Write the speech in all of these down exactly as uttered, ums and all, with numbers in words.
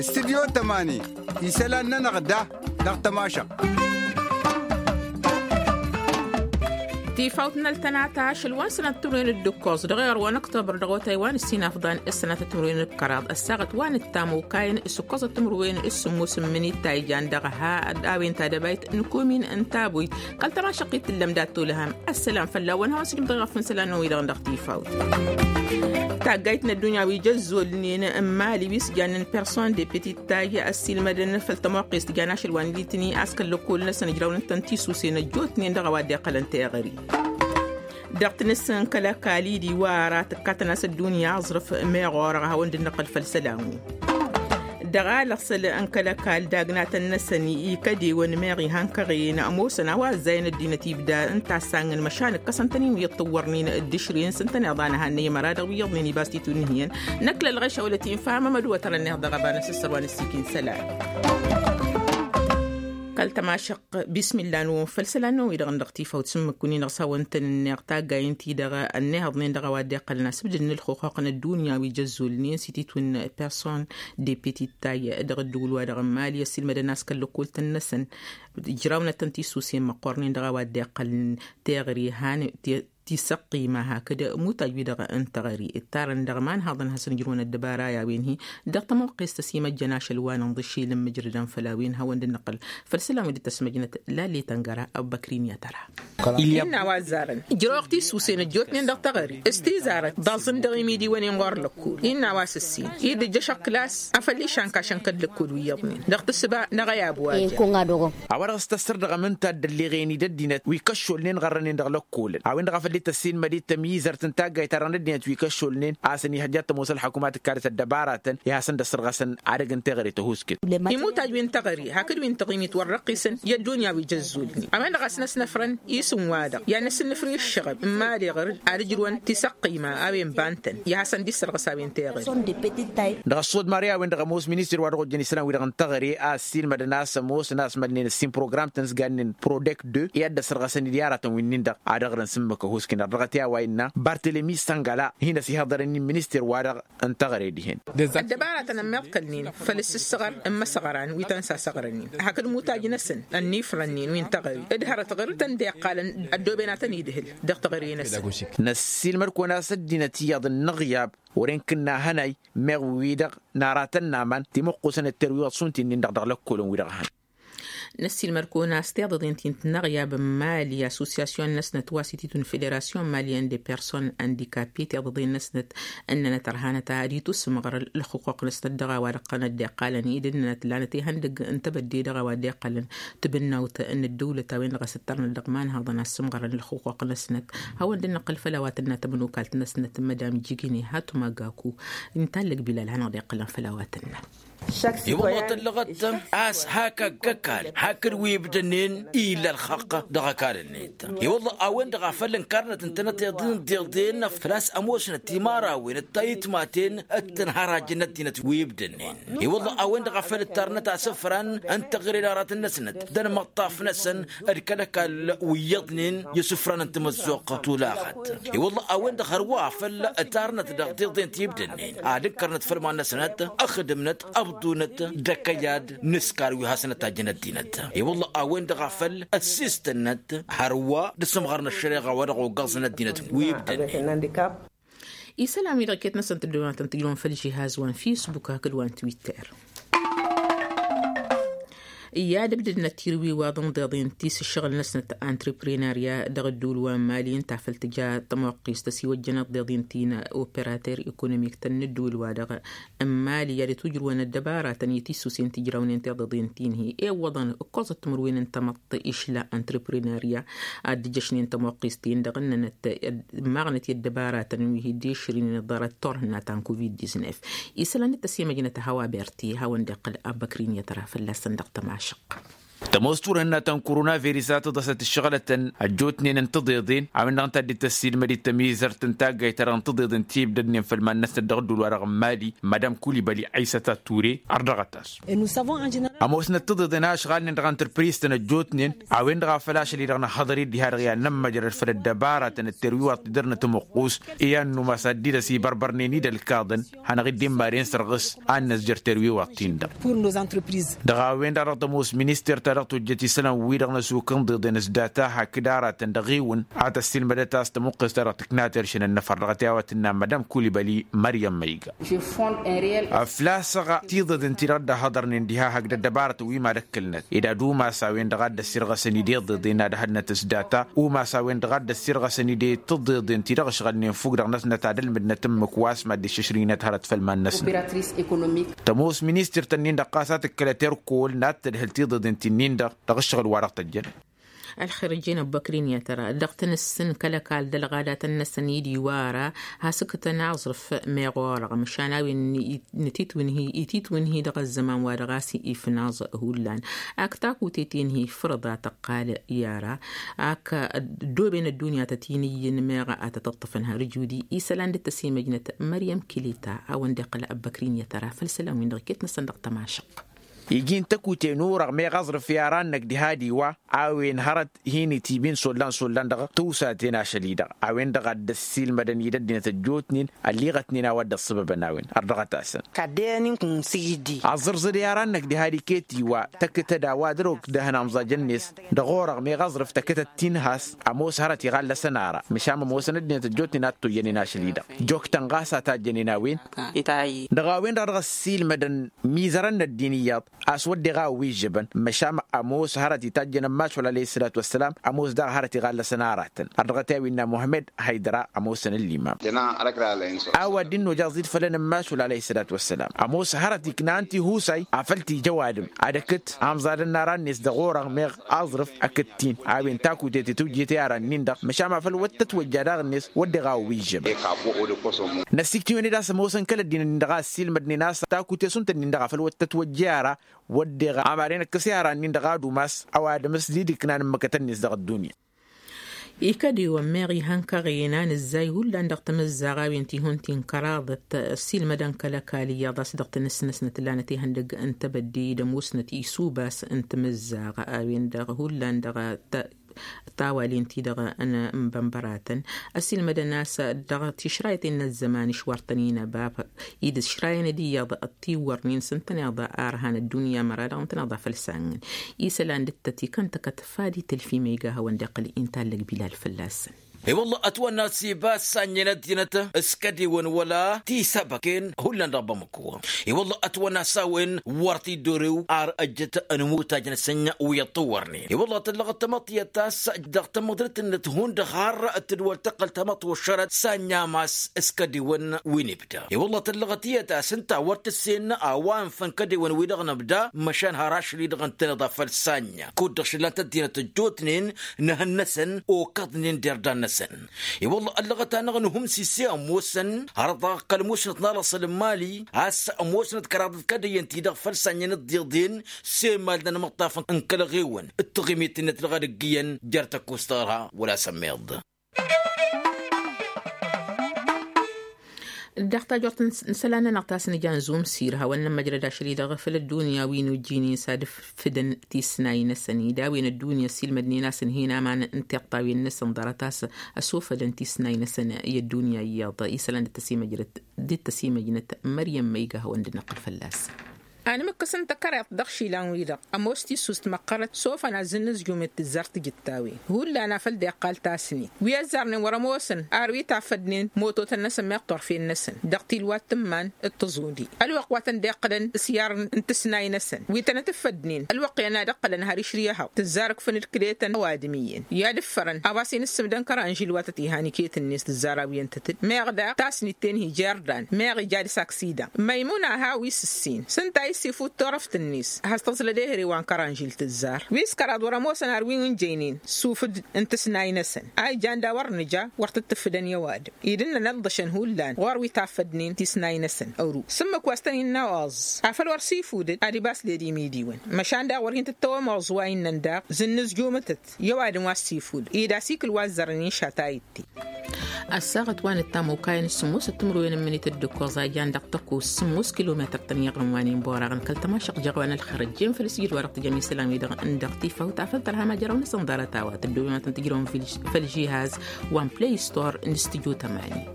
Studyo tămani isălan-nănăɣ da dăɣ-tămašăɣt. Tifawt n-ăltănata ašăl wa n-sănat timǝrwen d-ǝkkoẓ dăɣ-iɣăr wa n-ăktobăr dăɣ-otay wa n-ǝssin afḍan s-sănatăt timǝrwen d-kăraḍ ăssaɣăt wa n-ǝttam okayăn s-ǝkkoẓăt timǝrwen s-sǝmmos n-imǝnit ta ijan dăɣ-ha a-wen tadăbayt n-kumin n-tabuyt. Kăl-tămašăqqit tǝllăm dat-tolăhăm ăssălam fălla-wăn hawăn-sǝjǝm dăɣ-iɣăf n-isălan-năwăn-wi-dăɣ dăɣ-tifawt. Taggayt n-ăddunya wi jăzzolnen n-mali wi s-jannen person de petit tayy ăssiilmădăn făll-tămoqqest jan ašăl wa n-litni a-s kăl-lăkkol-năsăn ǝjrawnăn-tăn tisusen ăjjootnen dăɣ-a-wa dd-iqqălăn teɣări. Dăɣ-tinǝs n-kăl-ăkall idi wa ara tǝkkatăn a-s ăddunya aẓrǝf meɣ orăɣ a hawăn-dd-năqqăl făll-isălan-wi. Dăɣ-alăɣsăl n-kăl-ăkall dagnatăn-năsăn ikădewăn meɣ ihăn kăɣen ămoosăn a-wa ăzzayăn ăddinăt ibda n-tassangăn măšan ǝkkăsăn-tăn-in wi ăṭṭǝwwărnen d-ašren s-ǝntăneḍ a n-ehăn n-emăra dăɣ-wi iyyăḍnen ibas titun n-hiyăn. Năkk lălɣeš a wălăt infa mămăd wătărăn-neɣ dăɣ-ăbanăs s-sărwan ǝssikin isălan. Kăl-tămašăq bismillah-năwăn făll-isălan-năwăn-wi-dăɣ n-dăɣ-tifawt s-ǝmmǝk-win-i dăɣ-s hawăn-tăn-ǝnneɣ taggayen-ti-dăɣ ănnihăḍnen dăɣ-a-wa dd-iqqălăn asǝbdǝd n-ǝlxuxuq n-ăddunya wi jăzzolnen s-ititwǝn person de petit tay dăɣ-ădduul-wa-dăɣ n-mali ăssiilmădăn a-s kăl-lăkkoltăn-năsăn ǝjrawnăt-tăn tisusen măqqornen dăɣ-a-wa dd-iqqălăn teɣăre han tisăqqima hakd mutaj-wi-dăɣ n-teɣăre ǝttarăn dăɣ-imanhaḍăn ad-hasăn-ǝjrǝwăn ăddăbara i-a-wen-hi. Dăɣ-tămoqqest ăsimăjjăn ašăl wa n-inḍǝšil n-imǝjrǝdăn făll-a-wen hawăn-dd-năqqăl făll-isălan wi dd-tăsmăjnăt lalli tăngăra ăbbăkrin i-ad-tăra. Innă a-wa ăzzarăn ǝjrăwăɣ tisusen ăjjootnen dăɣ-teɣăre s-tizarăt d-aẓǝn dăɣ-imidiwăn-in ɣur-lăkkol innă a-wa s-ǝssin i-dd-ǝjjăš ăkklas afăl išan kašăn kăl-lăkkol wi iyyăḍnen dăɣ-tǝssǝba n-aɣăyab wa. A-wa dăɣ-s tăssăr dăɣ-amǝnta dd-ălleɣen-i d-ăddinăt wi kăššolnen ɣărrănen dăɣ-lăkkolăn a-wen-dăɣ a făl dd-tăssinmăd-i d-tămyizărt n-taggayt ta dăɣ-năt ăddinăt wi kăššolnen a-s ănihăjja ad-tămoos ălḥăkumat ǝkkalăt ăddăbaratăn i-ad-hasăn-dd-ăssărɣăsăn ad-ăgg n-teɣăre tăhuskǝt. Imutaj wi n-teɣăre hakd wi n-taɣimit wăr răqqisăn i-ăddunya wi jăzzulnen a-wen-dăɣ a-s năsnăfrăn isǝm-wa-dăɣ i-ad-năsǝnnǝfrǝy ǝššăɣăb n-imali ɣǝr-dd ad-ǝjrǝwăn tisăqqima a-wen bantăn i-ad-hasăn-dd-issărɣǝs a-wen teɣăre. Dăɣ-ăṣṣodmari a-wen-dăɣ ămoos ministir wa dăɣ-ojăn isălan-wi-dăɣ n-teɣăre a ăssiilmădăn a-s ămoosăn a-s mădnen ăssin program-tăn s-gannen prodek de i-ad-dd-ăsărɣăsăn-dd i-aratăn wi-nin-dăɣ ad-ăɣrǝn s-ǝmmǝk ăhuusken ărdăɣăt i-a-wa innă bartelemi săngala hin-ăsihăḍărăn-in ministir-wa-dăɣ n-teɣăre dihen. Ăddăbaratăn ămmiḍkălnen făll-ǝssǝssăɣăr n-imăsăɣran wi tăn-sasăɣrănen hakd imutaj-năsăn ănnifrănnen wi n-teɣăre d-hărăt ɣǝr-tăn dd-iqqalăn ăddooben ad-tăn-idhǝl dăɣ-teɣăre-năsăn. Năssiilmăd-kăwăn a-s ăddinăt iyyăḍ n-inăɣyab wăren kǝnna hănay meɣ wi-dăɣ n-aratăn n-aman timǝqqusăn d-terwiwăḍ šund ti-nin-dăɣ dăɣ-lăkkolăn-wi-dăɣ hăn. Năssiilmăd-kăwăn a-s tiḍăḍen ti n-tinăɣyab n-mali assosyasyon-năsnăt wa s-ititun federasyon malyen de person andikapi tiḍăḍen-năsnăt ǝnnănăt ărhanăt ad-itusǝmɣăr ǝlxǝqquq-năsnăt dăɣ-a-wa dăɣ-tăn dd-iqqalăn i-dd-ǝnnănăt lanăt ihăndăgg n-tebădde dăɣ-a-wa dd-iqqălăn tǝbǝnnawt n-ǝddăwlăt a-wen-dăɣ a-s ǝttărnăt dăɣ-imanhăḍăn a ăssǝmɣărăn ǝlxǝqquq-năsnăt. Hawăn-dd-năqqăl făll-a-wa tǝnna tămănokalt-năsnăt madam jigine hatuma gaku. N-tallăg bilal hanăɣ-dd-iqqălăn făll-a-wa tǝnna. I-wălla tăllăɣăt a-s hak ăgg-ăkall hakd wi ǝbdănen illa ălxaqq dăɣ-ăkall-net. I-wălla a-wen-dăɣ a făl ǝnkarnăt ǝntănăt iḍǝn d-iḍen făl-a-s ămoosnăt timărawen d-tayǝtmaten d-tǝnhărajăn n-ăddinăt wi ǝbdănen. I-wălla a-wen-dăɣ a făl ǝttarnăt asǝfran n-teɣăre n-aratăn-năsnăt d-ănmăṭṭaf-năsăn d-kăl-ăkall wi iyyăḍnen i-isǝfran n-tamăzzuɣt tulaɣăt. I-wălla a-wen-dăɣ hărwa a făl ǝttarnăt dăɣ-tiḍen ti ǝbdănen ad-ǝnkărnăt făll-iman-năsnăt ǝxdǝmnăt ăbḍunăt d-akăyad n-ǝskar wi hasăn-ătajjăn ăddinăt. I-wălla a-wen-dăɣ a făl ăssiistănnăt hărwa d-asǝmɣăr n-ăššăreɣa wa dăɣ-oggăẓăn ăddinăt wi ǝbdănen. Isălan-wi-dăɣ iket-năsăn tǝddǝwăn ad-tăn-tǝjrǝwăn făll-žihaz wa n-fisbuk hakd wa n-twitter. I-ad-ǝbdǝdnăt tirwiwaḍ n-iḍeḍen ti s-ǝššăɣǝl-năsnăt antreprenarya dăɣ-ădduul wa n-mali ǝnta a făl tǝja tămoqqist ăsiwăjjăn ăḍḍeḍen ti n-operater ekonomik-tăn n-ădduul-wa-dăɣ n-mali i-ad-ătwǝjrǝwăn ăddăbaratăn i-tisusen ti ǝjrawnen tiḍeḍen ti n-hi-ewwăḍăn ǝkkoẓăt timǝrwen n-tamăḍt išla antreprenarya ad-dd-ǝjjăšnen tămoqqist-in-dăɣ ǝnnănăt ămmaɣnăt i-ăddăbaratăn wi hi-dd-išrǝynen ăḍḍărăt turhǝnna ta n-covid-diznef. Isălan d-tăsimăjnăt a hăwa berti hawăn-dd-iqqǝl abbăkrin i-ad-tăra fălla-săn dăɣ-tămašăq. Tămoos turhǝnna ta n-koronaviris a tǝḍăsăt ǝššăɣǝlătăn ăjjootnen n-tiḍeḍen a-wen-dăɣ ǝnta a dd-tăssiilmăd-dd tămizărt n-taggayt-ta-dăɣ n-tiḍeḍen ti ibdădnen făll-iman-năsnăt dăɣ-ădduul-wa-dăɣ n-mali madam kulibăli ăysăt ature. Ărdăɣăt-as ămoosnăt tiḍeḍen a ǝšɣalnen dăɣ-antrăpriz-tăn ăjjootnen a-wen-dăɣ a făl ašăl-i-dăɣ nǝhhăḍăr-dd diha-dăɣ i-ad-nămmăjrăd făll-ăddăbaratăn d-terwiwaḍt ti dăr-nătmăqqus i-ad-numas ad-dd-idăs ibărbărnen-i d-ălkaḍăn hanăɣ-dd-immaren sărɣǝs ad-năzjăr terwiwaḍt-tin-dăɣ. Dăɣ-a-wen-dăɣ dăɣ-tămoos minister-ta-dăɣ tojjăt isălan-wi-dăɣ n-ăsuk n-iḍeḍen s-data hakd aratăn dăɣ-ewǝn a tăssiilmădăt a-s tămuqqes-ta-dăɣ tǝknat iršǝnăn n-afăr dăɣ-t i-a-wa tǝnna madam kulibăli măryăm măyga. Ăflasăɣ tiḍeḍen-ti-dăɣ dd-ăhhăḍărnen diha hakd ăddăbarătăn wi mad-ǝkkǝlnăt ed ad-umas a-wen-dăɣ a dd-ăssirɣăsăn-dd iḍeḍen ad-ăhădnăt s-data umas a-wen-dăɣ a dd-ăssirɣăsăn-dd i-tiḍeḍen-ti-dăɣ ǝšɣălnen fukk-dăɣ-năsnăt ad-ălmǝdnăt ǝmmǝk wa s-mad-dd-išǝšrǝynăt hărăt făll-iman-năsnăt. Tămoos ministăr-tăn-in-dăɣ ɣas a tǝkkălăt erkol n-ad-tădhǝl tiḍeḍen-ti-nin-dăɣ dăɣ-ǝššăɣǝl wa dăɣ-tăjjăn. Ălxer ǝjjen ăbbăkrin i-ad-tăra dăɣ-tăn-ǝssǝn kăl-ăkall d-ălɣadatăn-năsăn i-dd-iwara has-ǝkkătăn aẓrǝf meɣ orăɣ măšan a-wen ititwǝnhi ititwǝnhi dăɣ-ăzzăman wa dăɣ-a-s ifnaẓ. Hullan ak takutet-in-hi fărăḍa tăqqal i-ara ak ăddooben ăddunya tăt-in-ǝyyǝn meɣ a tăt-ǝṭṭǝfăn har ǝjudi isălan dd-tăsimăjnăt măryăm kilita a-wen dd-iqqăl ăbbăkrin i-ad-tăra făll-isălan-win-dăɣ iket-năsăn dăɣ-tamašăq. Iji n-takute n-orăɣ meɣ aẓrǝf i-ara-năk diha d-iwa a-wen hărăt hin-itibin s-ollan s-ollan dăɣ-tawsaten ašăl-i-dăɣ a-wen-dăɣ a dd-ăssiilmădăn-dd ăddinăt ăjjootnen ălliɣătnen a-wa dd-ăṣṣăbăbăn a-wen. Ărdăɣăt-asăn. Aẓẓǝrzăd i-ara-năk diha d-iket-iwa tăkktăd a-wa dăr-okdăhăn amẓaj-net dăɣ-orăɣ meɣ aẓrǝf tăkktăd-t-in has ămoos hărăt iɣallăsăn ara măšan ămoosăn ăddinăt ăjjootnen a t-oyyănen ašăl-i-dăɣ. Joktăn ɣas a tajjănen a-wen. Dăɣ-a-wen-dăɣ a dăɣ-ăssiilmădăn mizărăn n-ăddin iyyăḍ a-s wădden a ăwwižžăbăn măšan ămoos hărăt itajjăn ămmašul alăyhi s-sălatu wa s-sălam ămoos daɣ hărăt iɣallăsăn aratăn. Ărdăɣăt i-a-wen n-muhămmăd haydăra ămoosăn ǝllimam. A-wa dd-innoja ăẓid făll-enămmašul alăyhi s-sălatu wa s-sălam ămoos hărăt iknan tihusay afăl t-ija ăwadǝm ad-ăkǝt amẓadăn n-aran-net dăɣ-orăɣ meɣ aẓrǝf ăkǝt-t-in a-wen takutet i-tujjet i-aran-nin-dăɣ măšan afăl wăr tătwăjja daɣ-net wădden a ăwwižžăbăn. Năssiktǝyăn-dd a-s ămoosăn kăl-ăddinăn-in-dăɣ a ăssiilmădnen a-s takute šund-tăn-in-dăɣ afăl wăr tătwăjja ara wădden amaren ǝkkǝs i-aran-nin-dăɣ ad-umas ăwadǝm s-dd-iknan ǝmmǝkătăn-net dăɣ-ăddunya. Ikădiwăn meɣ ihăn kăɣen a nǝzzay hullan dăɣ-tamǝzzaɣ a-wen ti-hun ti n-kăraḍăt ăssiilmădăn kăl-ăkall iyyăḍ a-s dăɣ-tanǝsnăsnăt lanăt ihăndăgg n-tebădde d-ămoosnăt isubas n-tamǝzzaɣ a-wen-dăɣ hullan dăɣ-tawalen-ti-dăɣ n-inbănbăratăn ăssiilmădăn a-s dăɣ-tišrayăten n-ăzzăman išwar-tăn-in ăbab idǝs šrayăn d-iyyăḍ ăttiwwărnen s-ǝntăneḍ arhan ăddunya măra-dăɣ ǝntăneḍ a făl sanŋăn. Isălan dd-tăt-ikăn tăkăt fad itǝlf i-ma iga hawăn-dd-iqqăl intallăg bilal fălla-săn. I-wălla ătwănna s-ibas sannyăn ăddinăt s-kădewăn wăla tisăbăken hullan dăɣ-bamăko. I-wălla ătwănna s-a-wen wăr t-dd-orew ar ăjjăt n-imutaj-năsăn wi ăṭṭăwwărnen i-wălla tăllăɣăt tamăḍt tiyyăt ta s-dăɣ-tamăḍrit-net hundăɣ har tǝdwăl tăqqăl tamăḍt wăššărăt sannya a-s s-kădewăn wi n-ibda. I-wălla tăllăɣăt tiyyăt ta s-ǝnta wăr tǝssen a-wa ǝnfăn kădewăn-wi-dăɣ n-ǝbda măšan har ašăl-i-dăɣ ǝntăneḍ a făl sannya kud-dăɣ šǝllan-t ăddinăt ăjjootnen n-ehăn-năsăn okăḍnen d-irdan-năsăn. I-wălla ăllăɣăt-anăɣ n-humsise ămoosăn hărăt dăɣ-kăl-musnăt n-alăṣăl n-mali a-s ămoosnăt kăraḍăt kădăyyăn-ti-dăɣ făll-sannyăn d-iḍen s-emal n-anmăṭṭaf n-kăl-eɣewăn d-taɣimit-net dăɣ-ad-ǝggǝyăn jer-tăkkost tăɣra wăla s-ămmiḍ. Dăɣ-tajort n-isălan-nănăɣ ta s-nǝja n-zumsir hawăn-nămmăjrăd ašăl-i-dăɣ făll-ăddunya wi n-ujjin-in s-ad-ǝffǝdăn tisnay-năsăn-dd a-wen ăddunya ăssiilmădnen a-s ǝnhǝyăn aman n-tiṭṭawen-năsăn ḍarăt a-s ăsofădăn tisnay-năsăn i-ăddunya iyyăḍ isălan dd-tăsimăjrăd dd-tăsimăjnăt măryăm ma iga hawăn-dd-năqqǝl fălla-s. Anmǝkkǝs n-takăreḍt dăɣ-išilan-wi-dăɣ ămoos tissust măqqărăt sofăn azzǝn n-ǝzjum i-tǝzzar tijǝttan hullan a făl dd-iqqal tasnit wi ăzzarnen wăr-ămoosăn ar wi tafădnen mototăn-năsăn meɣ turfen-năsăn dăɣ-tilwat tǝmman d-tăẓudi ălwăqq wa tăn-dd-iqqǝlăn s-iyyar n-tǝsnay-năsăn wi tănăt-ǝffădnen ălwăqq i-ad-ăqqǝlăn har išrǝy ehăḍ tǝzzar ǝkfǝn d-kăletăn ăwadǝm iyyăn i-ad-ǝffărăn a-wa s-in-ǝssǝmdăn kăranžil wa tăt-ihan iket-net tǝzzar a-wi ǝntătăd meɣ daɣ tasnit-ten-hi jer-dan meɣ ija dăɣ-s aksida măymuna a hawǝy s-ǝssin s-ǝnta a Sifud turăft-net has-tăẓlăd ehăre wa n-kăranžil tǝzzar wi s-kăraḍ wăr-ămoosăn ar wi n-jăynen sufǝd n-tǝsnay-năsăn a ijan daw-wăr nǝja wăr tǝttǝffǝdăn i-ăwadǝm idǝnnăn ăḍḍăšăn hullan ɣur-wi taffădnen tisnay-năsăn ăru s-ǝmmǝk wa s-tăn-innă oẓ afăl wăr sifudăd ad-ibas led imidiwăn măšan daɣ wăr hin-tǝttăwăm oẓ wa innăn daɣ zǝnnǝzjumǝtăt i-ăwadǝm wa s-sifudăd ed asikǝl wa ăzzărăn inša ta itte. Ăssaɣăt wa n-ăttam okayăn s-sǝmmosăt timǝrwen n-imǝnităt d-ǝkkoẓ a jan dăɣ-tăkko s-sǝmmos kilometăr tăn-iɣrǝm wa n-inborăɣăn kăl-tămašăɣ jeɣ wa n-ălxărăt jen făll-sijǝd wa dăɣ-tijăn isălan-wi-dăɣ n-dăɣ tifawt afăl tărha majăraw-năsăn ḍarăt a-wa tăddoben wa tăn-tǝjrăwăn făll-žihaz wa n-play store n-stujo tămani.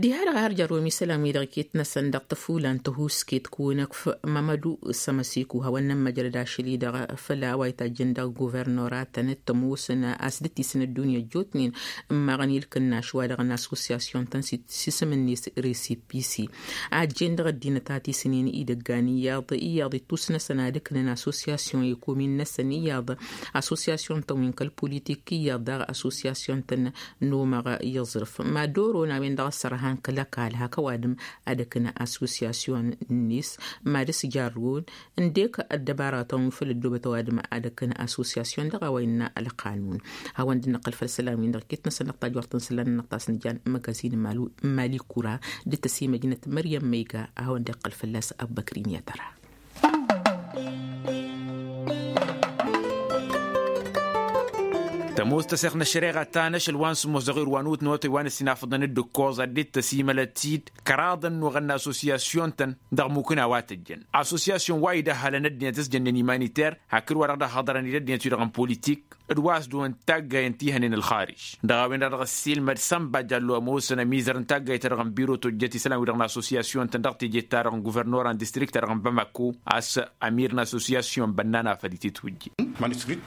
Diha-dăɣ a har jărrǝwăm isălan-wi-dăɣ iket-năsăn dăɣ-tăfula n-tăhusket kăwăn-ăkf mămădu s-ămăsiku hawăn-nămmăjrăd ašăl-i-dăɣ făll-a-wa itajjăn dăɣ-guvernoratăn d-tămoosăn a-s dd-tisǝn ăddunya ăjjootnen ǝmmaɣăn i-ǝlkǝnnaš wa dăɣ-n asosiyasyon-tăn s-isǝm-net resipisi a ăjjeen dăɣ-ăddinăt a tisǝnen idăggan iyyăḍ iyyăḍ ittus-năsăn ad-ǝknăn asosiyasyon i-komin-năsăn iyyăḍ asosiyasyon-tăn wi n-kăl-politik iyyăḍ daɣ asosiyasyon-tăn n-omăɣ i-aẓrǝf mad-oron a-wen-dăɣ ăssărhan kăl-ăkall hak ăwadǝm ad-ǝknăn asosiyasyon-net mad-ǝsjarrǝw ǝndek ăddăbaratăn wi făll-ăddoobăt ăwadǝm ad-ǝknăn asosiyasyon dăɣ-a-wa innă ălqanun. Hawăn-dd-năqqăl făll-isălan-win-dăɣ iket-năsăn dăɣ-tajwărt n-isălan-nănăɣ ta s-nǝjan măgazin n-mali kura dd-tăsimăjnăt măryăm ma iga a hawăn-dd-iqqăl fălla-s ăbbăkrin i-ad-tăra. Tămoos tăseɣt n-ăššăreɣa ta n-ašăl wa n-sǝmmos dăɣ-erwanut n-otăy wa n-ăsinafăḍăn d-ǝkkoẓ ad-dd-tăsimălăt-dd kăraḍăn n-oɣănna asosiyasyon-tăn dăɣ-mukǝna wa tăjjăn asosiyasyon wa idăhhalăn ăddinăt s-jănnen imaniter hakd wa dăɣ-dd-ăhhăḍărăn-dd ăddinăt-wi-dăɣ n-politik d-wa s-dăɣ-wăn taggayăn ti hănen ălxarij dăɣ-a-wen-dăɣ dăɣ-ăssiilmăd sănba jallo ămoosăn ămizăr n-taggayt-ta-dăɣ n-biro tojjăt isălan-wi-dăɣ n-asosiyasyon-tăn dăɣ-teje-ta-dăɣ n-guvărnor a n-distrikt-ta-dăɣ n-bamako a-s amir n-asosiyasyon bănnan afăl ititwǝjje.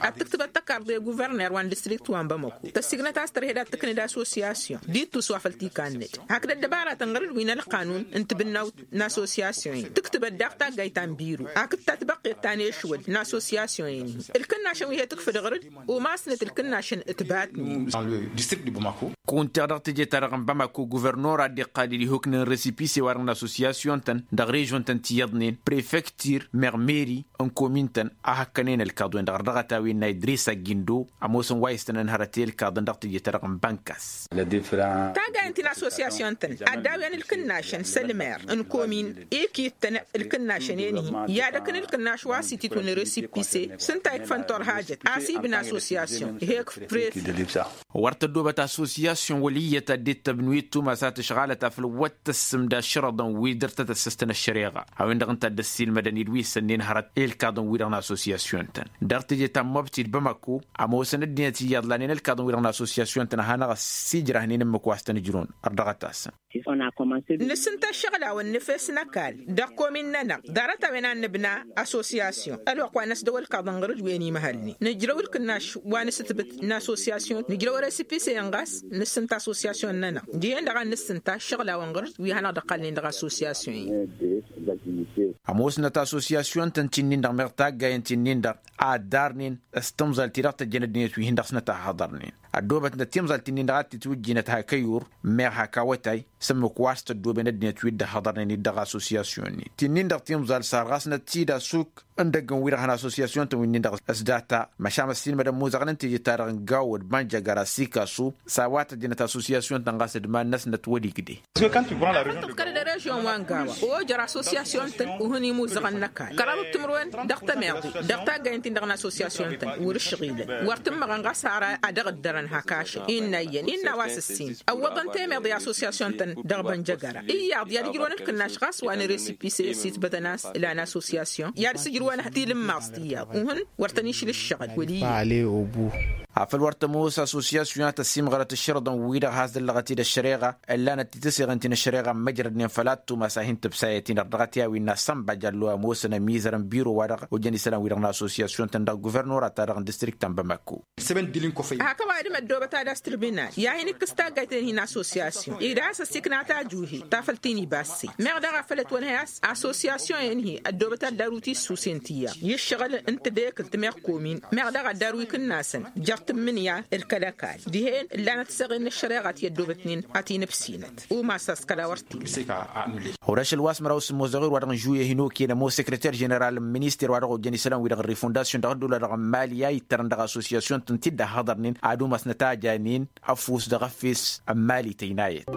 Ad-tǝktǝbăt tăkarḍe guvărner wa n-distrikt wa n-bamako tăssignăt a-s tărhed ad-tǝknǝd asosiyasyon d-ittus wa făl t-ikannăd hakd ăddăbaratăn ɣăr-dd wi n-ălqanun n-tibǝnnawt n-asosiyasyon-in tǝktǝbăt daɣ taggayt ta n-biro hakd tatbăqqet ta n-ešwăl n-asosiyasyon-in-hi ǝlkǝnnašăn wi he-tǝkfǝd ɣăr-dd umasnăt ǝlkǝnnašăn ǝtbatnen. Kunteɣ dăɣ-teje-ta-dăɣ n-bamako guvărnor ad-dd-iqqal d-ihuknen resipise-wa-dăɣ n-asosiyasyon-tăn dăɣ-režon-tăn ti iyyăḍnen prefektir meɣ meri n-komin-tăn a hăkkănen ălkaḍ-wen-dăɣ ărdăɣăt a-wen n-a idris aggindo ămoosăn wa istănăn hărăt i-ălkaḍăn dăɣ-teje-ta-dăɣ n-bănkas. Taggayăn ti n-asosiyasyon-tăn ad-dd-awǝyăn ǝlkǝnnašăn s-ălmer n-komin ikittăn ǝlkǝnnašăn-en-hi i-ad-ăkn ǝlkǝnnaš wa s-ititwǝn resipise s-ǝnta ikfăn torhajăt a-s ibǝn asosiyasyon ih'-ekf prefir. Wăr tăddoobăt asosiyasyon wăl' iyyăt ad-dd-tăbnu ittumas a tǝšɣalăt afăl wăr tăssǝmda ašrăḍăn wi dăr-tăt-ăssăstăn ăššăreɣa a-wen-dăɣ ǝnta a dd-ăssiilmădăn i-dd wi s-ănnin hărăt i-ălkaḍăn-wi-dăɣ n-asosiyasyon-tăn dăɣ-teje ta n-mobti d-bamako. Ămoosăn ăddinăt iyyăḍ lanen ălkaḍăn-wi-dăɣ n-asosiyasyon-tăn a hanăɣ-ăssiijrăhnen ǝmmǝk wa s-tăn-ǝjrǝwăn ărdăɣăt-asăn. Nǝsǝnta ăššăɣlawăn nǝfes n-ăkall dăɣ-komin-nănăɣ ḍarăt-a-wen a nǝbna asosiyasyon ălwăqq wa n-ăsdăw ălkaḍăn ɣur-dd wen imhălnen nǝjrăw ǝlkǝnnaš wa n-asǝtbǝt n-asosiyasyon nǝjrăw resipise-en ɣas nǝsǝnta asosiyasyon-nănăɣ. Dihen-dăɣ a nǝsǝnta ăššăɣlawăn ɣur-dd wi hanăɣ-dd-ăqqalnen dăɣ-asosiyasyon-in. Ămoosnăt asosiyasyon-tăn ti-nin-dăɣ meɣ taggayăn ti-nin-dăɣ a ăddarnen s-timẓal-ti-dăɣ tăjjăn ăddinăt wi hin-dăɣ-snăt a hăḍărnen ăddoobătnăt timẓal ti-nin-dăɣ a t-tǝtwǝjjinăt hak ăyur meɣ hak awătay s-ǝmmǝk wa s-tăddoben ăddinăt wi dd-ăhhăḍărnen-dd dăɣ-asosiyasyon-in ti-nin-dăɣ timẓal sarɣasnăt-dd asuk n-idăggăn-wi-dăɣ hăn asosiyasyon-tăn wi-nin-dăɣ s-data. Măšan ăssiilmădăn imuzăɣăn n-teje-ta-dăɣ n-gawăd banja gar-asikasub s-a-wa tăjjănăt asosiyasyon-tăn ɣas d-iman-năsnăt wăr-igdeh. Tǝḍkălăd režyon wa n-gawa ojăr asosiyasyon-tăn uhǝn imuzăɣăn n-ăkall kăraḍăt timǝrwen dăɣ-tămeḍe dăɣ-taggayăn-tin-dăɣ n-asosiyasyon-tăn wăr-ǝššăɣilăn wăr tǝmmăɣăn ɣas har ad-dăɣ-ǝddărăn hak ašăl innă iyyăn innă a-wa s-ǝssin ăwwăḍăn temeḍe asosiyasyon-tăn dăɣ-bănjăgăra iyyăḍ i-ad-ǝjrǝwăn ǝlkǝnnaš ɣas wa n-resipise s-itbătăn a-s ǝlan asosiyasyon i-ad-sǝjrǝwăn tilǝmmaẓt iyyăḍ uhǝn wăr tăn-išla ǝššăɣǝl wăl' iyyăḍ. Afăl wăr tămoos asosiyasyon a tăsimɣărăt ǝššărǝḍăn-wi-dăɣ has-dăllăɣăt-dd ăššăreɣa ǝllanăt titǝseɣen ti n-ăššăreɣa n-măjrădnen făll-ad-tumas a hin-tǝbsayăt-in ărdăɣăt i-a-wi n-asănba jallo a ămoosăn ămizăr n-biro-wa-dăɣ ojăn isălan-wi-dăɣ n-asosiyasyon-tăn dăɣ-guvărnora-ta-dăɣ n-distrikt ta n-bamako. Hak ăwadǝm ăddoobăt ad-as tribinal i-ad-hin-ikkǝs taggayt-en-hi n-asosiyasyon ed a has-ăsikna tajuhe ta făl tinibasse meɣ daɣ a făl ătwănhăy a-s asosiyasyon-en-hi ăddoobăt ad-daru tissusen ti iyyăḍ i-ǝššăɣǝl n-tedekǝlt meɣ komin meɣ daɣ ad-daru ikǝnnasăn jer-t. tǝmmǝnǝya d-kăl-ăkall dihen ǝllanăt săɣen n-ăššăreɣa ti ăddoobătnen ad-t-in-ǝbsinăt. Umas a-s kăla wăr t-illa. Ɣur-ašăl wa s-măraw s-ămmoos dăɣ-ewăr wa-dăɣ n-žuyyăh inoken ămoos săkrăter ženeral n-minister wa dăɣ-ojăn isălan-wi-dăɣ n-refondasyon dăɣ-ăddola-dăɣ n-mali a ittărăn dăɣ-assosyasyon-tăn ti dd-ăhhăḍărnen ad-umasnăt a janen ăfuss dăɣ-efes n-mali tăynayăt.